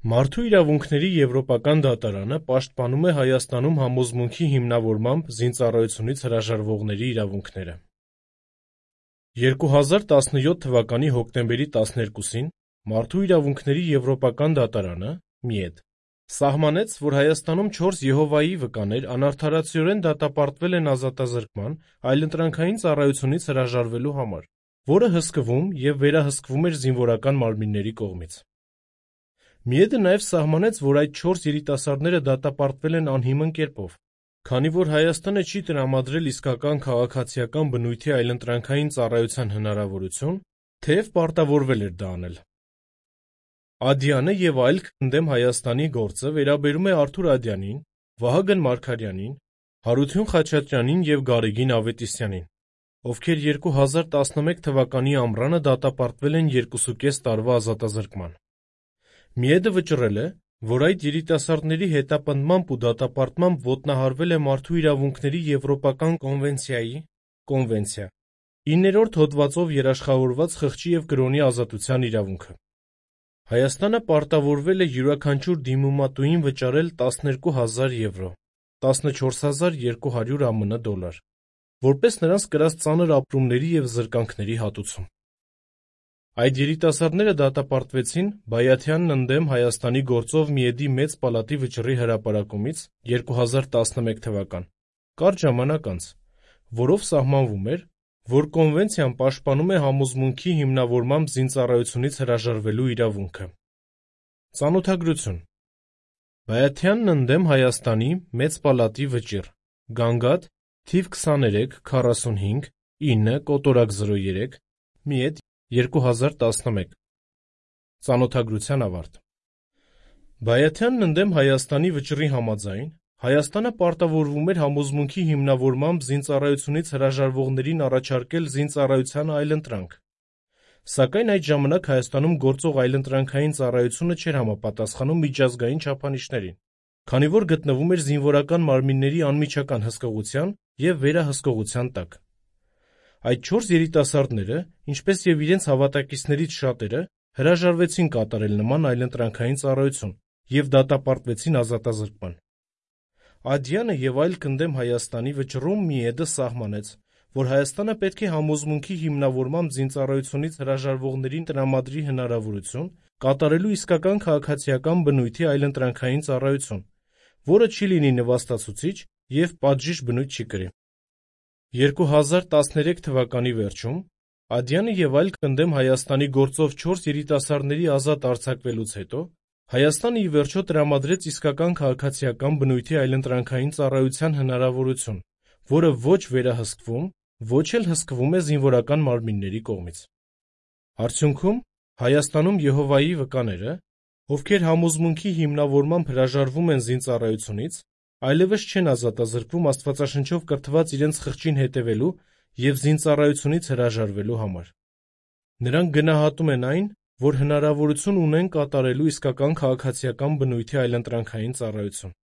Մարդու իրավունքների Եվրոպական դատարանը պաշտպանում է Հայաստանում համոզմունքի հիմնավորմամբ զինծառայությունից հրաժարվողների իրավունքները։ 2017 թվականի հոկտեմբերի 12-ին Մարդու իրավունքների Եվրոպական դատարանը (ՄԻԵԴ) սահմանեց, որ Հայաստանում 4 Եհովայի վկաներ անարդարացիորեն դատապարտվել են ազատազրկման, այլընտրանքային ծառայությունից հրաժարվելու համար, որը հսկվում և վերահսկվում էր զինվորական մարմինների կողմից։ ՄԻԵԴ-ը նաև սահմանեց, որ այդ 4 երիտասարդները դատապարտվել են անհիմն կերպով, քանի որ Հայաստանը չի տրամադրել իսկական քաղաքացիական բնույթի այլընտրանքային ծառայության հնարավորություն, թեև պարտավորվել էր դա անել։ Ադյանը և այլ «Քանդեմ Հայաստանի» գործը վերաբերում է Արթուր Ադյանին, Վահագն Մարգարյանին, Հարություն Խաչատրյանին և Գարեգին Ավետիսյանին, ովքեր 2011 թվականի ամռանը դատապարտվել են 2,5 տարվա ազատազրկման։ ՄԻԵԴ-ը վճռել է, որ այդ երիտասարդների հետապնդմամբ ու դատապարտմամբ ոտնահարվել է Մարդու իրավունքների Եվրոպական կոնվենցիայի (Կոնվենցիա) 9-րդ հոդվածով երաշխավորված խղճի և կրոնի ազատության իրավունքը։ Հայաստանը պարտավորվել է յուրաքանչյուր դիմումատուին վճարել 12,000 եվրո (14,200 ԱՄՆ դոլար), որպես նրանց կրած ծանր ապրումների և զրկանքների հատուցում։ Այդ երիտասարդները դատապարտվեցին Բայաթյանն ընդդեմ Հայաստանի գործով ՄԻԵԴ-ի Մեծ պալատի վճռի հրապարակումից 2011 թվական, կարճ ժամանակ անց, որով սահմանվում էր, որ կոնվենցիան պաշտպանում է համոզմունքի հիմնավորմամբ զինծառայությունից հրաժարվելու իրավունքը։ Ծանոթագրություն Բայաթյանն ընդդեմ Հայաստանի Մեծ պալատի վճիռ Գանգատ թիվ 23 45 9 կոտորակ 03 ՄԻԵԴ 2011 Ծանոթագրության ավարտ Բայաթյանն ընդդեմ Հայաստանի վճռի համաձայն Հայաստանը պարտավորվում էր համոզմունքի հիմնավորմամբ զինծառայությունից հրաժարվողներին առաջարկել զինծառայության այլընտրանք, սակայն այդ ժամանակ Հայաստանում գործող այլընտրանքային ծառայությունը չէր համապատասխանում միջազգային չափանիշներին, քանի որ գտնվում էր զինվորական մարմինների անմիջական հսկողության և վերահսկողության տակ։ Այդ 4 երիտասարդները, ինչպես և իրենց հավատակիցներից շատերը, հրաժարվեցին կատարել նման այլընտրանքային ծառայություն և դատապարտվեցին ազատազրկման։ Ադյանը և այլ «Քանդեմ Հայաստանի» վճռում ՄԻԵԴ-ը սահմանեց, որ Հայաստանը պետք է համոզմունքի հիմնավորմամբ զինծառայությունից հրաժարվողներին տրամադրի հնարավորություն կատարելու իսկական քաղաքացիական բնույթի այլընտրանքային ծառայություն, որը չի լինի նվաստացուցիչ և պատժիժ բնույթ չի կրի։ 2013 թվականի վերջում Ադյանը և այլ «Քանդեմ Հայաստանի» գործով 4 երիտասարդների ազատ արձակվելուց հետո Հայաստանը ի վերջո տրամադրեց իսկական քաղաքացիական բնույթի այլընտրանքային ծառայության հնարավորություն, որը ոչ վերահսկվում, ոչ էլ հսկվում է զինվորական մարմինների կողմից։ Արդյունքում Հայաստանում Եհովայի վկաները, ովքեր համոզմունքի հիմնավորմամբ հրաժարվում են զինծառայությունից, այլևս չեն ազատազրկվում Աստվածաշնչով կրթված իրենց խղճին հետևելու և զինծառայությունից հրաժարվելու համար։ Նրանք գնահատում են այն, որ հնարավորություն ունեն կատարելու իսկական քաղաքացիական բնույթի այլընտրանքային ծառայություն։